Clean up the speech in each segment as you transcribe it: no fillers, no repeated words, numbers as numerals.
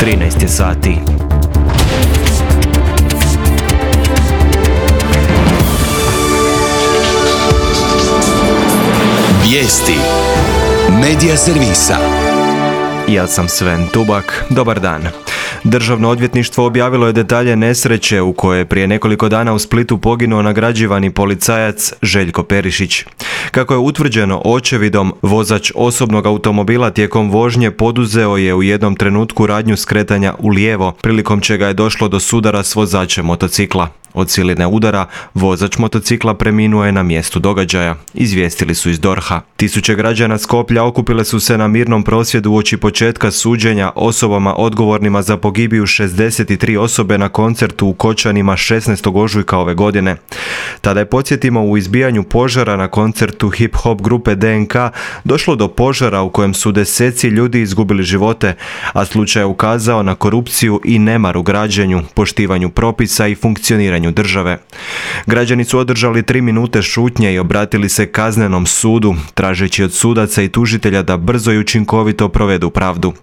13 je sati. Vijesti Medija servisa. Ja sam Sven Tubak, dobar dan. Državno odvjetništvo objavilo je detalje nesreće u kojoj je prije nekoliko dana u Splitu poginuo nagrađivani policajac Željko Perišić. Kako je utvrđeno očevidom, vozač osobnog automobila tijekom vožnje poduzeo je u jednom trenutku radnju skretanja u lijevo, prilikom čega je došlo do sudara s vozačem motocikla. Od siline udara, vozač motocikla preminuo je na mjestu događaja, izvijestili su iz DORH-a. Tisuće građana Skoplja okupile su se na mirnom prosvjedu uoči početka suđenja osobama odgovornima za pogibiju 63 osobe na koncertu u Kočanima 16. ožujka ove godine. Tada je, podsjetimo, u izbijanju požara na koncertu hip-hop grupe DNK došlo do požara u kojem su deseci ljudi izgubili živote, a slučaj je ukazao na korupciju i nemar u građenju, poštivanju propisa i funkcioniranju države. Građani su održali 3 minute šutnje i obratili se kaznenom sudu, tražeći od sudaca i tužitelja da brzo i učinkovito provedu pravdu.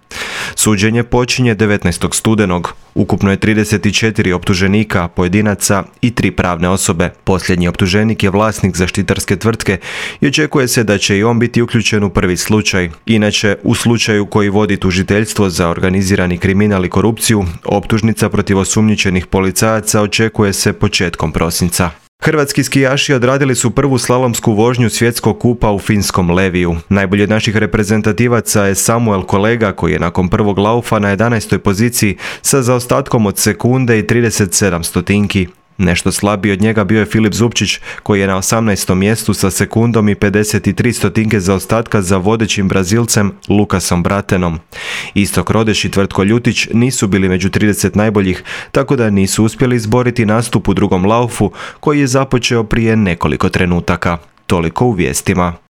Suđenje počinje 19. studenog. Ukupno je 34 optuženika, pojedinaca i 3 pravne osobe. Posljednji optuženik je vlasnik zaštitarske tvrtke i očekuje se da će i on biti uključen u prvi slučaj. Inače, u slučaju koji vodi tužiteljstvo za organizirani kriminal i korupciju, optužnica protiv osumnjičenih policajaca očekuje se početkom prosinca. Hrvatski skijaši odradili su prvu slalomsku vožnju svjetskog kupa u finskom Leviju. Najbolji od naših reprezentativaca je Samuel Kolega, koji je nakon prvog laufa na 11. poziciji sa zaostatkom od sekunde i 37 stotinki. Nešto slabiji od njega bio je Filip Zupčić, koji je na 18. mjestu sa sekundom i 53 stotinke zaostatka za vodećim Brazilcem Lukasom Bratenom. Istok Rodeš i Tvrtko Ljutić nisu bili među 30 najboljih, tako da nisu uspjeli izboriti nastup u drugom laufu koji je započeo prije nekoliko trenutaka. Toliko u vijestima.